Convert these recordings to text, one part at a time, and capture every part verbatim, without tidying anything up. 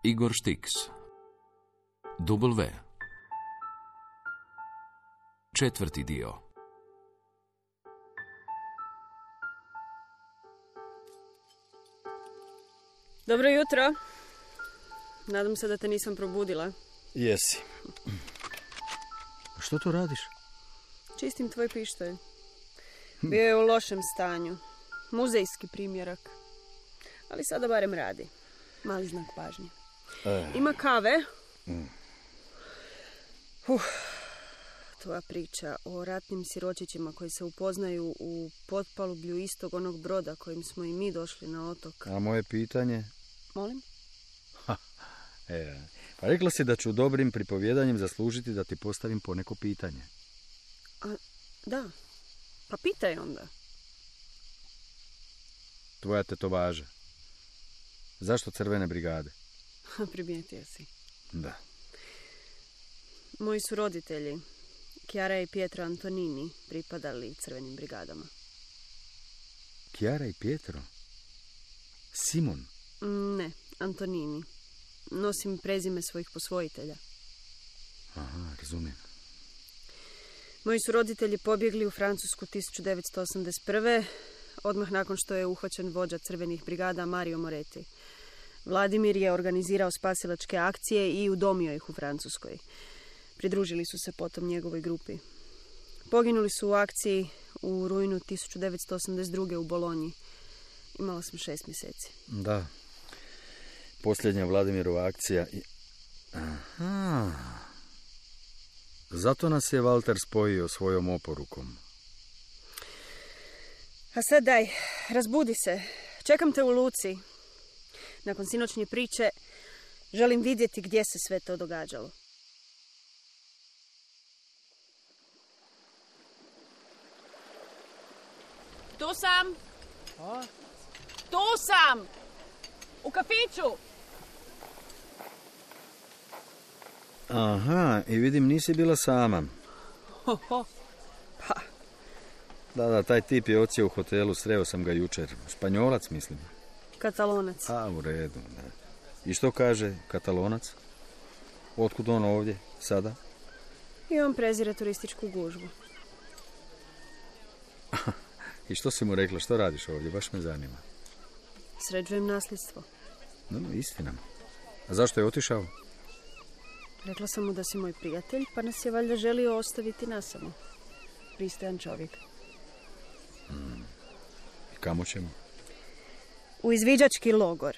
Igor Štiks. W. Četvrti dio. Dobro jutro. Nadam se da te nisam probudila. Jesi. Što to radiš? Čistim tvoj pištolj. Bio je u lošem stanju. Muzejski primjerak. Ali sada barem radi. Mali znak pažnje. E. Ima kave. Mm. Uf. Tvoja priča o ratnim siročićima koji se upoznaju u potpalublju istog onog broda kojim smo i mi došli na otok. A moje pitanje? Molim? Ha, e, pa rekla si da ću dobrim pripovjedanjem zaslužiti da ti postavim poneko pitanje. A, da. Pa pitaj onda. Tvoja tetovaža. Zašto crvene brigade? Primijetio si. Da. Moji su roditelji, Chiara i Pietro Antonini, pripadali crvenim brigadama. Chiara i Pietro? Simon? Ne, Antonini. Nosim prezime svojih posvojitelja. Aha, razumijem. Moji su roditelji pobjegli u Francusku tisuću devetsto osamdeset prve. odmah nakon što je uhvaćen vođa crvenih brigada Mario Moretti. Vladimir je organizirao spasilačke akcije i udomio ih u Francuskoj. Pridružili su se potom njegovoj grupi. Poginuli su u akciji u rujnu tisuću devetsto osamdeset druge u Bolonji. Imala sam šest mjeseci. Da. Posljednja Vladimirova akcija. I... Aha. Zato nas je Walter spojio svojom oporukom. A sad daj, razbudi se. Čekam te u luci. Nakon sinoćnje priče želim vidjeti gdje se sve to događalo. Tu sam. A? Tu sam. U kafiću. Aha, i vidim nisi bila sama. Ho, ho. Pa. Da, da, taj tip je odsjeo u hotelu, sreo sam ga jučer. Španjolac, mislim. Katalonac. A, u redu, da. I što kaže Katalonac? Otkud on ovdje, sada? I on prezire turističku gužvu. I što si mu rekla, što radiš ovdje, baš me zanima. Sređujem nasljedstvo. No, no, istina. A zašto je otišao? Rekla sam mu da si moj prijatelj, pa nas je valjda želio ostaviti nasamo. Pristojan čovjek. Hmm. I kamo ćemo? U izviđački logor.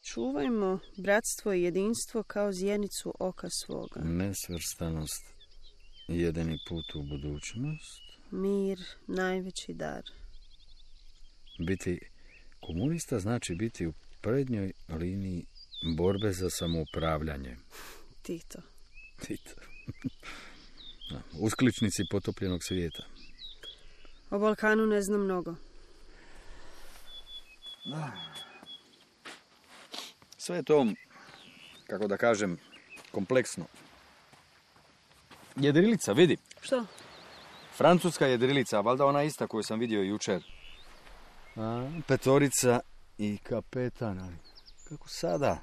Čuvajmo bratstvo i jedinstvo kao zjenicu oka svoga. Nesvrstanost, jedini put u budućnost. Mir, najveći dar. Biti komunista znači biti u prednjoj liniji borbe za samoupravljanje. Tito. Tito. Uskličnici potopljenog svijeta. O Balkanu ne znam mnogo. Sve je to, kako da kažem, kompleksno. Jedrilica, vidi. Što? Francuska jedrilica, valjda ona ista koju sam vidio jučer. A, petorica i kapetan, ali kako sada?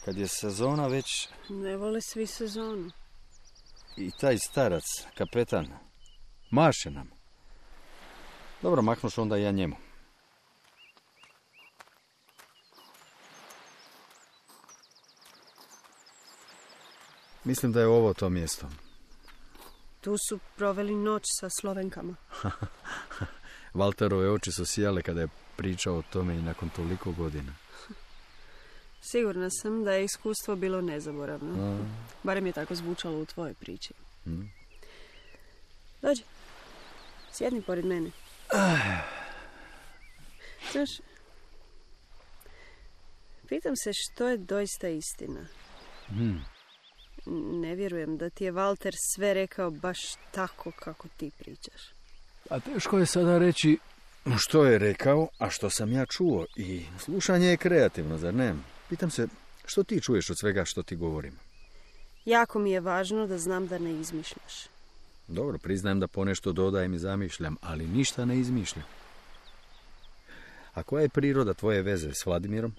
Kad je sezona već... Ne vole svi sezonu. I taj starac, kapetan, maše nam. Dobro, maknuš onda i ja njemu. Mislim da je ovo to mjesto. Tu su proveli noć sa Slovenkama. Walterove oči su sijale kada je pričao o tome i nakon toliko godina. Sigurna sam da je iskustvo bilo nezaboravno. A. Barem je tako zvučalo u tvojoj priči. Hmm. Dođi. Sjedni pored mene. Znaš, pitam se što je doista istina. Hmm. Ne vjerujem da ti je Walter sve rekao baš tako kako ti pričaš. A teško je sada reći Što je rekao, a što sam ja čuo? I slušanje je kreativno, zar ne? Pitam se, što ti čuješ od svega što ti govorim? Jako mi je važno da znam da ne izmišljaš. Dobro, priznajem da ponešto dodajem i zamišljam, ali ništa ne izmišljam. A koja je priroda tvoje veze s Vladimirom?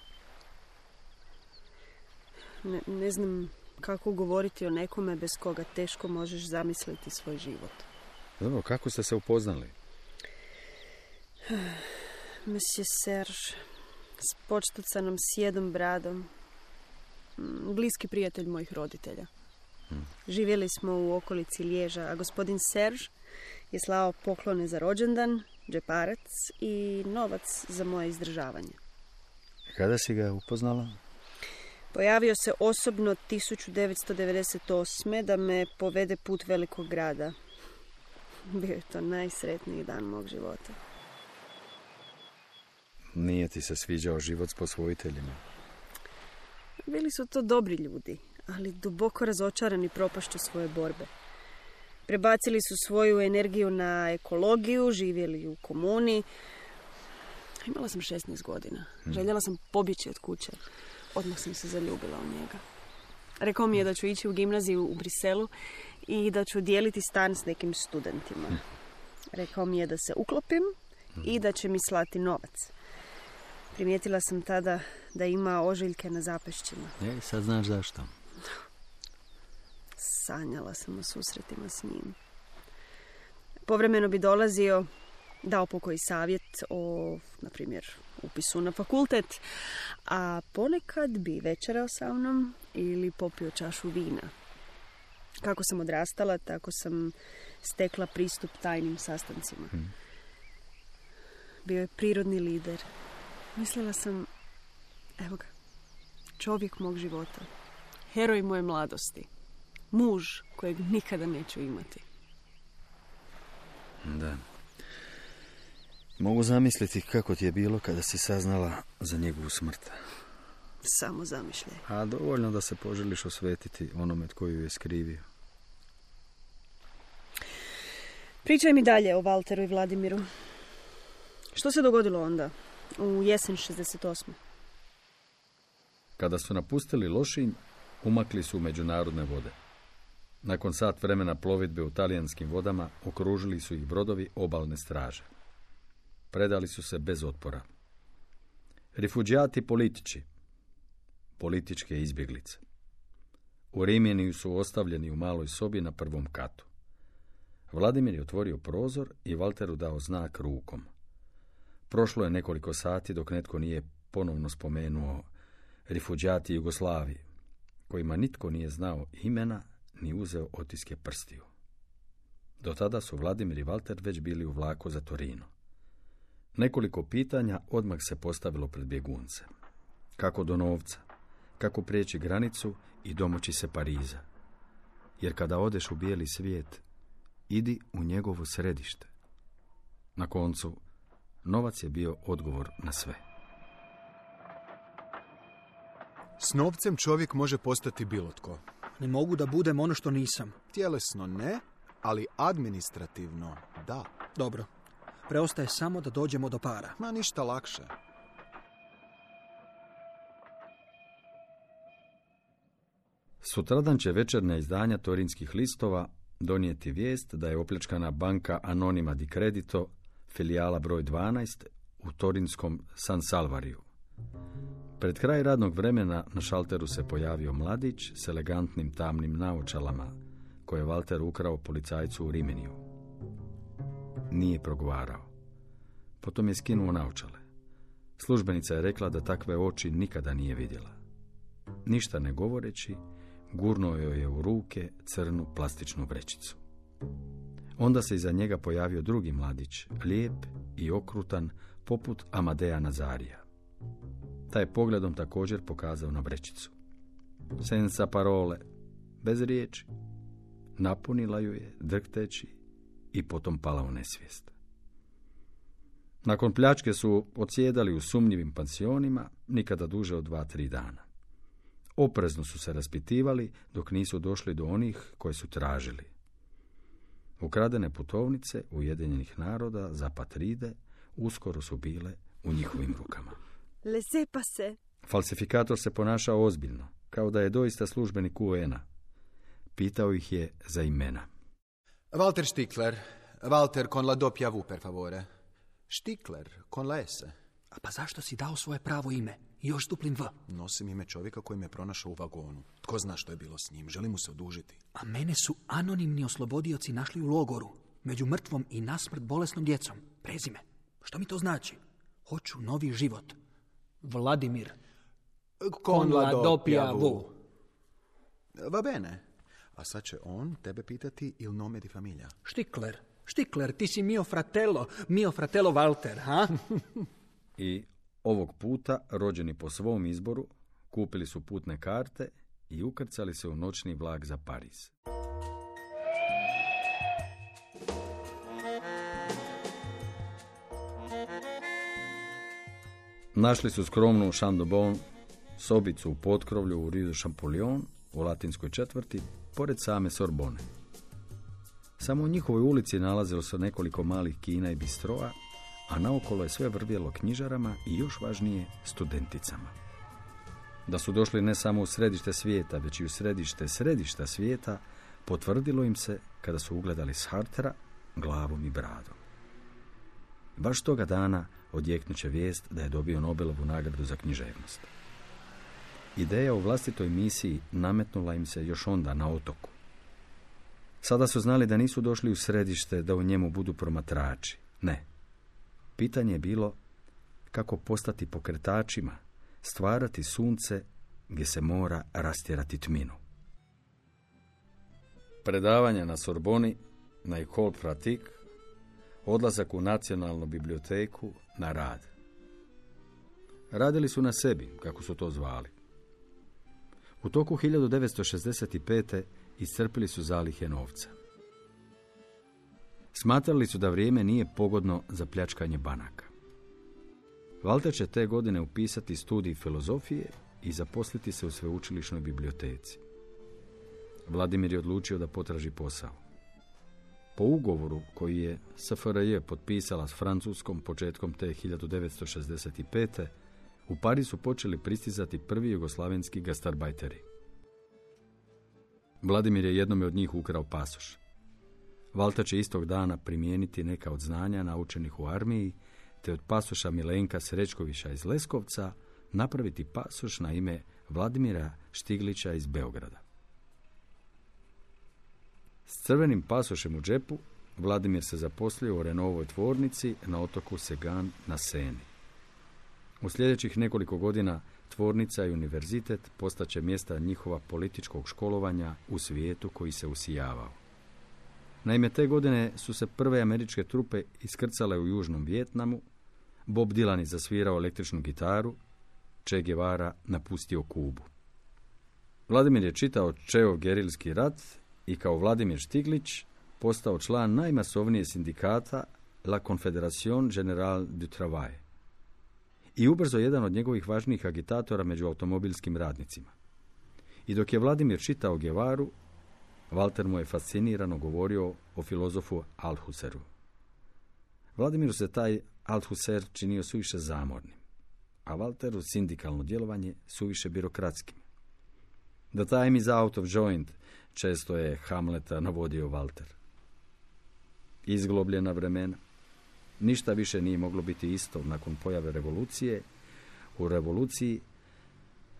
Ne, ne znam kako govoriti o nekome bez koga teško možeš zamisliti svoj život. Dobro, kako ste se upoznali? Monsieur Serge, s počtucanom sjedom bradom, bliski prijatelj mojih roditelja. Hmm. Živjeli smo u okolici Liježa, a gospodin Serge je slao poklone za rođendan, džeparac i novac za moje izdržavanje. Kada si ga upoznala? Pojavio se osobno tisuću devetsto devedeset osme da me povede put velikog grada. Bio je to najsretniji dan mog života. Nije ti se sviđao život s posvojiteljima? Bili su to dobri ljudi, ali duboko razočarani propašću svoje borbe. Prebacili su svoju energiju na ekologiju, živjeli u komuni. Imala sam šesnaest godina. Željela sam pobjeći od kuće. Odmah sam se zaljubila u njega. Rekao mi je da ću ići u gimnaziju u Briselu i da ću dijeliti stan s nekim studentima. Rekao mi je da se uklopim i da će mi slati novac. Primijetila sam tada da ima ožiljke na zapešćima. E, sad znaš zašto. Sanjala sam o susretima s njim. Povremeno bi dolazio, dao pokoji savjet o, na primjer, upisu na fakultet, a ponekad bi večerao sa mnom ili popio čašu vina. Kako sam odrastala, tako sam stekla pristup tajnim sastancima. Hmm. Bio je prirodni lider. Mislila sam, evo ga, čovjek mog života, heroj moje mladosti, muž kojeg nikada neću imati. Da. Mogu zamisliti kako ti je bilo kada si saznala za njegovu smrt. Samo zamišljaj. A dovoljno da se poželiš osvetiti onome tko ju je skrivio. Pričaj mi dalje o Valteru i Vladimiru. Što se dogodilo onda, u jesen šezdeset osme? Kada su napustili Lošinj, umakli su u međunarodne vode. Nakon sat vremena plovidbe u talijanskim vodama, okružili su ih brodovi obalne straže. Predali su se bez otpora. Rifuđijati političi, političke izbjeglice. U Rimini su ostavljeni u maloj sobi na prvom katu. Vladimir je otvorio prozor i Valteru dao znak rukom. Prošlo je nekoliko sati dok netko nije ponovno spomenuo rifuđijati Jugoslavije, kojima nitko nije znao imena ni uzeo otiske prstiju. Do tada su Vladimir i Valter već bili u vlaku za Torino. Nekoliko pitanja odmah se postavilo pred bjegunce. Kako do novca? Kako prijeći granicu i domoći se Pariza? Jer kada odeš u bijeli svijet, idi u njegovo središte. Na koncu, novac je bio odgovor na sve. S novcem čovjek može postati bilo tko. Ne mogu da budem ono što nisam. Tjelesno ne, ali administrativno da. Dobro. Preostaje samo da dođemo do para. Ma ništa lakše. Sutradan će večernja izdanja torinskih listova donijeti vijest da je opljačkana banka Anonima di Credito, filijala broj dvanaest, u torinskom San Salvariju. Pred kraj radnog vremena na šalteru se pojavio mladić s elegantnim tamnim naočalama, koje je Valter ukrao policajcu u Riminiju. Nije progovarao. Potom je skinuo naočale. Službenica je rekla da takve oči nikada nije vidjela. Ništa ne govoreći, gurnuo joj je u ruke crnu plastičnu vrećicu. Onda se iza njega pojavio drugi mladić, lijep i okrutan, poput Amadeja Nazarija. Taj je pogledom također pokazao na vrećicu. Senza parole, bez riječi. Napunila ju je, drhteći, i potom pala u nesvijest. Nakon pljačke su odsjedali u sumnjivim pansionima, nikada duže od dva, tri dana. Oprezno su se raspitivali dok nisu došli do onih koje su tražili. Ukradene putovnice Ujedinjenih naroda za Patride uskoro su bile u njihovim rukama. Laissez passer. Falsifikator se ponašao ozbiljno, kao da je doista službenik U N-a. Pitao ih je za imena. Walter Stickler. Walter con la doppia V, per favore. Stickler con la S. A pa zašto si dao svoje pravo ime i još duplim V? Nosim ime čovjeka koji me pronašao u vagonu. Tko zna što je bilo s njim? Želim mu se odužiti. A mene su anonimni oslobodioci našli u logoru, među mrtvom i nasmrt bolesnom djecom. Prezime. Što mi to znači? Hoću novi život. Vladimir. Con la doppia V. V. Va bene. A sad će on tebe pitati il nome di familia. Štikler. Štikler, ti si mio fratello. Mio fratello Walter, ha? I ovog puta, rođeni po svom izboru, kupili su putne karte i ukrcali se u noćni vlak za Pariz. Našli su skromnu Chandobon, sobicu u potkrovlju u Rue de Champollion, u latinskoj četvrti, pored same Sorbone. Samo u njihovoj ulici nalazilo se nekoliko malih kina i bistroa, a naokolo je sve vrvjelo knjižarama i još važnije studenticama. Da su došli ne samo u središte svijeta, već i u središte središta svijeta, potvrdilo im se kada su ugledali Sartra glavom i bradom. Baš toga dana odjeknuće vijest da je dobio Nobelovu nagradu za književnost. Ideja o vlastitoj misiji nametnula im se još onda na otoku. Sada su znali da nisu došli u središte da u njemu budu promatrači. Ne. Pitanje je bilo kako postati pokretačima, stvarati sunce gdje se mora rastjerati tminu. Predavanja na Sorboni, na École Pratique, odlazak u nacionalnu biblioteku, na rad. Radili su na sebi, kako su to zvali. U toku hiljadu devetsto šezdeset pete. iscrpili su zalihe novca. Smatrali su da vrijeme nije pogodno za pljačkanje banaka. Walter će te godine upisati studij filozofije i zaposliti se u sveučilišnoj biblioteci. Vladimir je odlučio da potraži posao. Po ugovoru koji je S F R J potpisala s Francuskom početkom te hiljadu devetsto šezdeset pete. u Pariz su počeli pristizati prvi jugoslavenski gastarbajteri. Vladimir je jednome od njih ukrao pasoš. Walter će istog dana primijeniti neka od znanja naučenih u armiji, te od pasoša Milenka Srećkovića iz Leskovca napraviti pasoš na ime Vladimira Štiglića iz Beograda. S crvenim pasošem u džepu, Vladimir se zaposlio u Renaultovoj tvornici na otoku Segan na Seni. U sljedećih nekoliko godina tvornica i univerzitet postaće mjesta njihova političkog školovanja u svijetu koji se usijavao. Naime, te godine su se prve američke trupe iskrcale u Južnom Vijetnamu, Bob Dylan je zasvirao električnu gitaru, Che Guevara napustio Kubu. Vladimir je čitao Cheov gerilski rat i kao Vladimir Štiglić postao član najmasovnije sindikata La Confédération Générale du Travail i ubrzo jedan od njegovih važnijih agitatora među automobilskim radnicima. I dok je Vladimir čitao Guevaru, Walter mu je fascinirano govorio o filozofu Althusseru. Vladimiru se taj Althusser činio suviše zamornim, a Walteru sindikalno djelovanje suviše birokratskim. The time is out of joint, često je Hamleta navodio Walter. Izglobljena vremena. Ništa više nije moglo biti isto nakon pojave revolucije. U revoluciji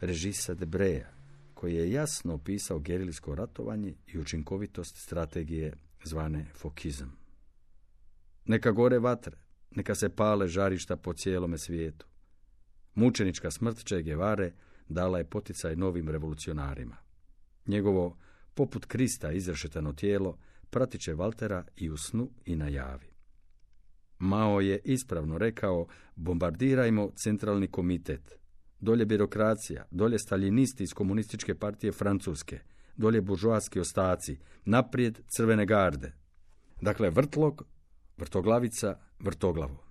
Regisa Debreja, koji je jasno opisao gerilsko ratovanje i učinkovitost strategije zvane fokizam. Neka gore vatre, neka se pale žarišta po cijelome svijetu. Mučenička smrt Che Guevare dala je poticaj novim revolucionarima. Njegovo poput Krista izrešetano tijelo pratit će Waltera i u snu i na javi. Mao je ispravno rekao: bombardirajmo centralni komitet. Dolje birokracija, dolje staljinisti iz komunističke partije Francuske, dolje buržoaski ostaci, naprijed crvene garde. Dakle, vrtlog, vrtoglavica, vrtoglavo.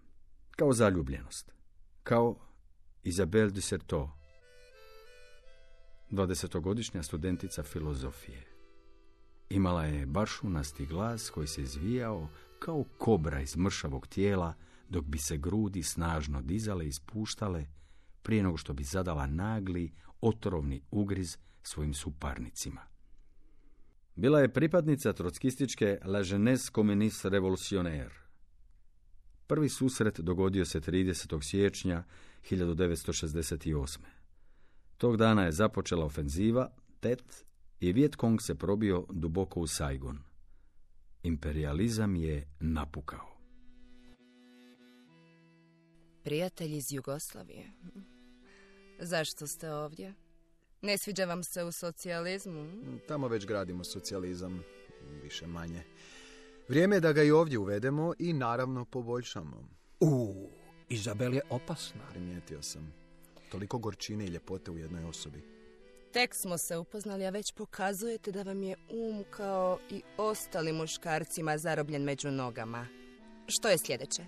Kao zaljubljenost. Kao Isabelle de Certeau, dvadesetogodišnja studentica filozofije. Imala je bašunasti glas koji se izvijao kao kobra iz mršavog tijela dok bi se grudi snažno dizale i spuštale, prije nego što bi zadala nagli, otrovni ugriz svojim suparnicima. Bila je pripadnica trotskističke La Jeunesse Communiste Revolutionnaire. Prvi susret dogodio se tridesetog siječnja hiljadu devetsto šezdeset osme. Tog dana je započela ofenziva Tet i Viet Cong se probio duboko u Saigon. Imperializam je napukao. Prijatelji iz Jugoslavije. Zašto ste ovdje? Ne sviđa vam se u socijalizmu? Tamo već gradimo socijalizam, više manje. Vrijeme je da ga i ovdje uvedemo i naravno poboljšamo. U, Izabel je opasna. Primijetio sam. Toliko gorčine i ljepote u jednoj osobi. Tek smo se upoznali, a već pokazujete da vam je um kao i ostali muškarcima zarobljen među nogama. Što je sljedeće?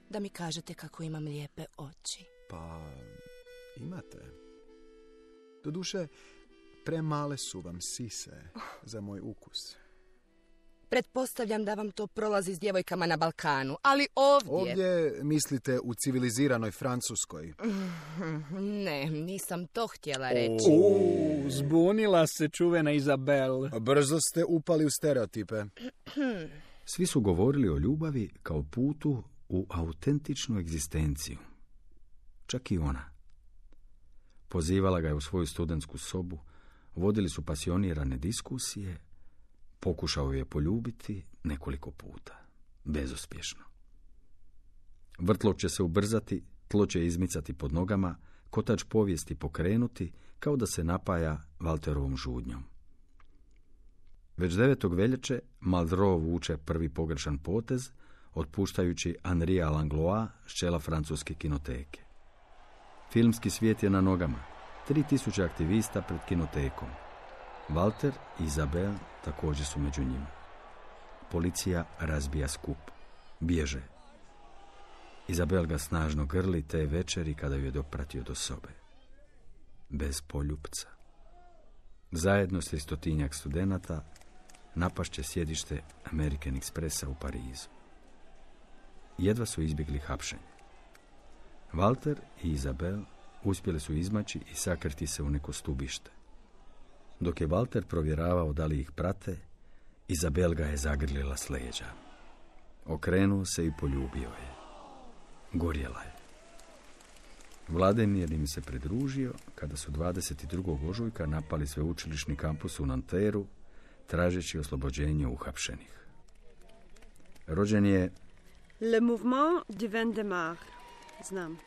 Da mi kažete kako imam lijepe oči. Pa, imate. Doduše, premale su vam sise za moj ukus. Pretpostavljam da vam to prolazi s djevojkama na Balkanu, ali ovdje... Ovdje mislite u civiliziranoj Francuskoj? Ne, nisam to htjela reći. U, zbunila se čuvena Izabel. Brzo ste upali u stereotipe. Svi su govorili o ljubavi kao putu u autentičnu egzistenciju. Čak i ona. Pozivala ga je u svoju studentsku sobu, vodili su pasionirane diskusije, pokušao je poljubiti nekoliko puta, bezuspješno. Vrtlog će se ubrzati, tlo će izmicati pod nogama, kotač povijesti pokrenuti, kao da se napaja Valterovom žudnjom. Već devetog veljače Malraux vuče prvi pogrešan potez, otpuštajući Henria Langlois s čela francuske kinoteke. Filmski svijet je na nogama. Tri tisuće aktivista pred kinotekom. Walter i Izabel također su među njima. Policija razbija skup. Bježe. Izabel ga snažno grli te večeri kada ju je dopratio do sobe. Bez poljupca. Zajedno s tristotinjak studenata napašće sjedište American Expressa u Parizu. Jedva su izbjegli hapšenje. Walter i Izabel uspjeli su izmaći i sakriti se u neko stubište. Dok je Walter provjeravao da li ih prate, Izabel ga je zagrlila s leđa. Okrenuo se i poljubio je. Gorjela je. Vladimir im se pridružio kada su dvadeset drugog ožujka napali sveučilišni kampus u Nanteru, tražeći oslobođenje uhapšenih. Rođen je Le Mouvement du vingt de Mars. Znam.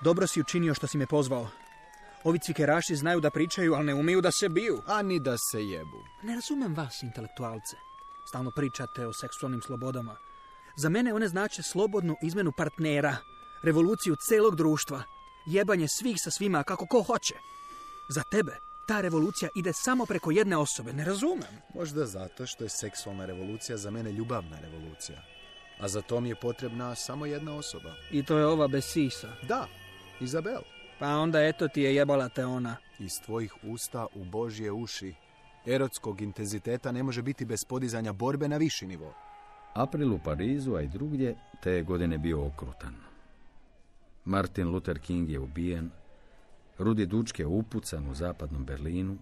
Dobro si učinio što si me pozvao. Ovi cvikeraši znaju da pričaju, ali ne umiju da se biju. A ni da se jebu. Ne razumem vas, intelektualce. Stalno pričate o seksualnim slobodama. Za mene one znače slobodnu izmenu partnera, revoluciju celog društva, jebanje svih sa svima kako ko hoće. Za tebe ta revolucija ide samo preko jedne osobe, ne razumem. Možda zato što je seksualna revolucija za mene ljubavna revolucija. A za to mi je potrebna samo jedna osoba. I to je ova bez sisa. Da, Izabel. Pa onda eto ti je jebala te ona. Iz tvojih usta u Božje uši. Erotskog intenziteta ne može biti bez podizanja borbe na viši nivo. April u Parizu, a i drugdje, te je godine bio okrutan. Martin Luther King je ubijen, Rudi Dučke je upucan u zapadnom Berlinu,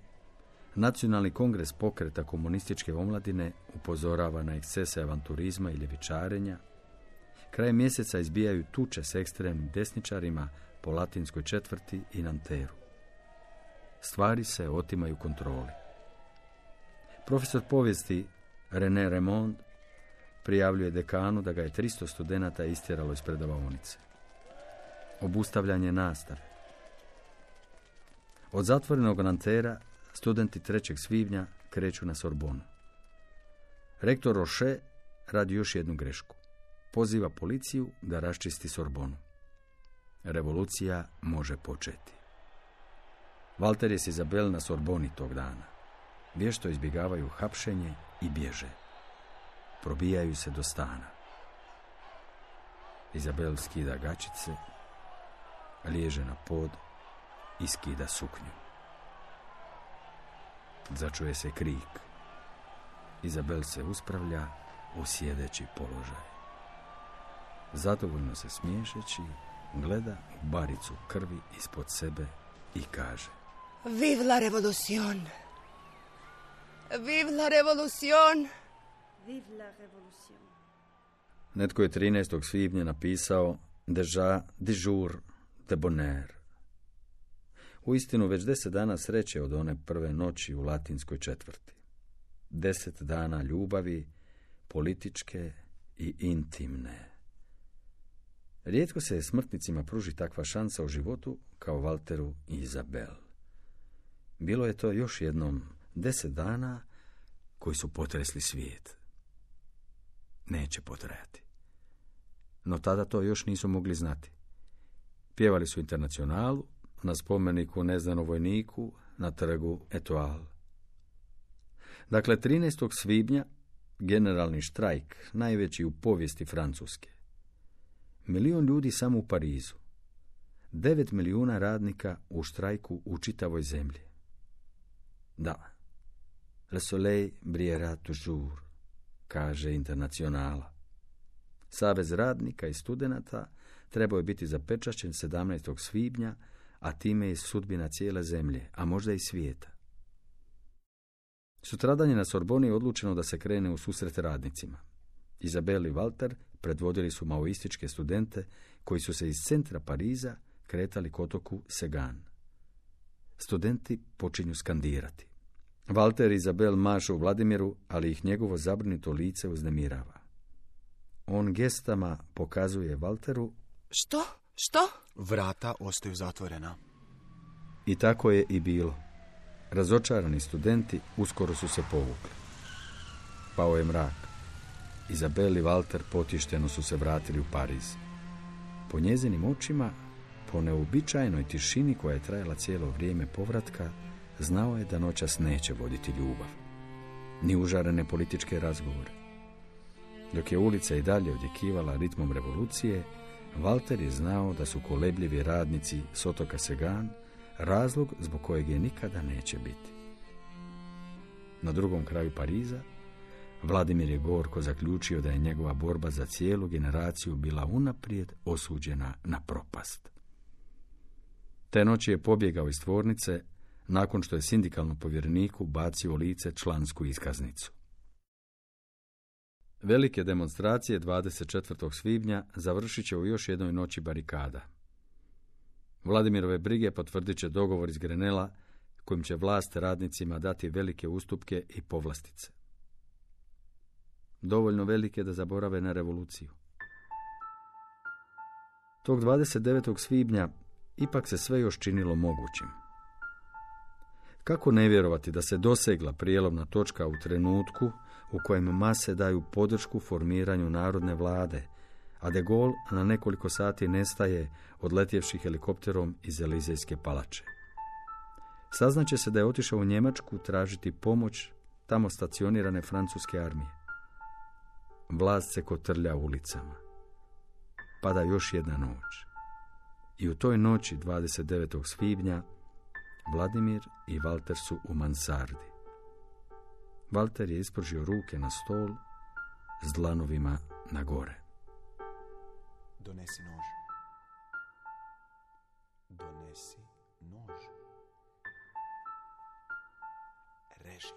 Nacionalni kongres pokreta komunističke omladine upozorava na ekscese avanturizma i ljevičarenja, kraj mjeseca izbijaju tuče s ekstremnim desničarima po latinskoj četvrti i Nanteru. Stvari se otimaju kontroli. Profesor povijesti René Raymond prijavljuje dekanu da ga je tristo studenata istjeralo iz predavaonice. Obustavljanje nastave. Od zatvorenog Nantera studenti trećeg svibnja kreću na Sorbonu. Rektor Roche radi još jednu grešku. Poziva policiju da raščisti Sorbonu. Revolucija može početi. Walter je s Izabel na Sorboni tog dana. Vješto izbjegavaju hapšenje i bježe. Probijaju se do stana. Izabel skida gačice, liježe na pod i skida suknju. Začuje se krik. Izabel se uspravlja u sjedeći položaj. zadovoljno se smiješeći, gleda u baricu krvi ispod sebe i kaže: Vive la revolucion! Vive la revolucion! Vive la revolution. Netko je trinaestog svibnja napisao Déjà de jour de bonheur. Uistinu već deset dana sreće od one prve noći u latinskoj četvrti. Deset dana ljubavi, političke i intimne. Rijetko se smrtnicima pruži takva šansa u životu kao Walteru i Izabel. Bilo je to još jednom deset dana koji su potresli svijet. Neće potrajati. No tada to još nisu mogli znati. Pjevali su Internacionalu, na spomeniku neznanom vojniku, na trgu Etoile. Dakle, trinaestog svibnja, generalni štrajk, najveći u povijesti Francuske. Milion ljudi samo u Parizu. Devet milijuna radnika u štrajku u čitavoj zemlji. Da, le soleil brillera toujours, kaže Internacionala. Savez radnika i studenata trebao je biti zapečaćen sedamnaestog svibnja, a time i sudbina cijele zemlje, a možda i svijeta. Sutradan je na Sorboni odlučeno da se krene u susret radnicima. Izabel i Walter predvodili su maoističke studente koji su se iz centra Pariza kretali k otoku Segan. Studenti počinju skandirati. Walter i Izabel mašu Vladimiru, ali ih njegovo zabrinuto lice uznemirava. On gestama pokazuje Walteru: Što? Što? Vrata ostaju zatvorena. I tako je i bilo. Razočarani studenti uskoro su se povukli. Pao je mrak. Izabel i Walter potišteno su se vratili u Pariz. Po njezinim očima, po neuobičajenoj tišini koja je trajala cijelo vrijeme povratka, znao je da noćas neće voditi ljubav, ni užarene političke razgovore. Dok je ulica i dalje odjekivala ritmom revolucije, Walter je znao da su kolebljivi radnici s otoka Segan razlog zbog kojeg je nikada neće biti. Na drugom kraju Pariza, Vladimir je gorko zaključio da je njegova borba za cijelu generaciju bila unaprijed osuđena na propast. Te noći je pobjegao iz tvornice nakon što je sindikalnom povjereniku bacio u lice člansku iskaznicu. Velike demonstracije dvadeset četvrtog svibnja završit će u još jednoj noći barikada. Vladimirove brige potvrdit će dogovor iz Grenela kojim će vlast radnicima dati velike ustupke i povlastice. Dovoljno velike da zaborave na revoluciju. Tog dvadeset devetog svibnja ipak se sve još činilo mogućim. Kako ne vjerovati da se dosegla prijelomna točka u trenutku u kojem mase daju podršku formiranju narodne vlade, a de Gaulle na nekoliko sati nestaje odletjevši helikopterom iz Elizejske palače. Saznaće se da je otišao u Njemačku tražiti pomoć tamo stacionirane francuske armije. Vlast se kotrlja ulicama. Pada još jedna noć. I u toj noći dvadeset devetog svibnja Vladimir i Walter su u mansardi. Walter je ispržio ruke na stol s dlanovima na gore. Donesi nož. Donesi nož. Reži.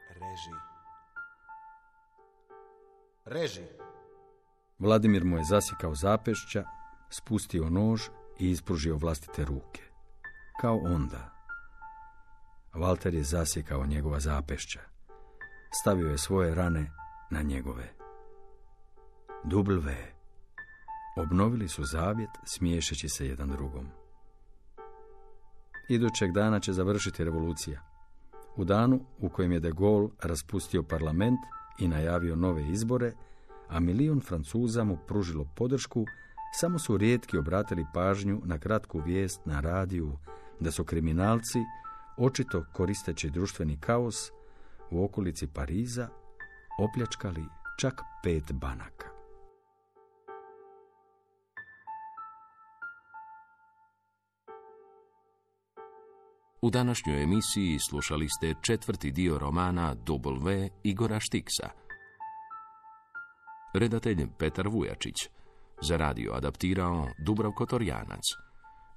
Reži. Reži. Vladimir mu je zasjekao zapešća, spustio nož i ispružio vlastite ruke. Kao onda. Walter je zasjekao njegova zapešća. Stavio je svoje rane na njegove. W. Obnovili su zavjet, smiješeći se jedan drugom. Idućeg dana će završiti revolucija. U danu u kojem je de Gaulle raspustio parlament i najavio nove izbore, a milion Francuza mu pružilo podršku, samo su rijetki obratili pažnju na kratku vijest na radiju da su kriminalci, očito koristeći društveni kaos, u okolici Pariza opljačkali čak pet banaka. U današnjoj emisiji slušali ste četvrti dio romana W. Igora Štiksa. redatelj Petar Vujačić, za radio adaptirao Dubravko Torjanac.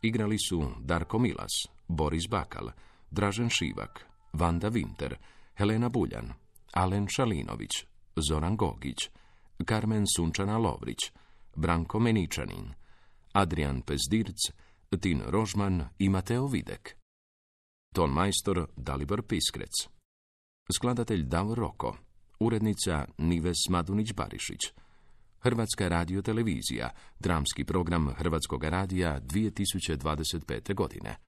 Igrali su Darko Milas, Boris Bakal, Dražen Šivak, Vanda Winter, Helena Buljan, Alen Šalinović, Zoran Gogić, Karmen Sunčana Lovrić, Branko Meničanin, Adrian Pezdirc, Tin Rožman i Mateo Videk. Ton majstor Dalibor Piskrec. Skladatelj Davor Roko. Urednica Nives Madunić-Barišić. Hrvatska radiotelevizija, dramski program Hrvatskog radija dvije tisuće dvadeset pete. godine.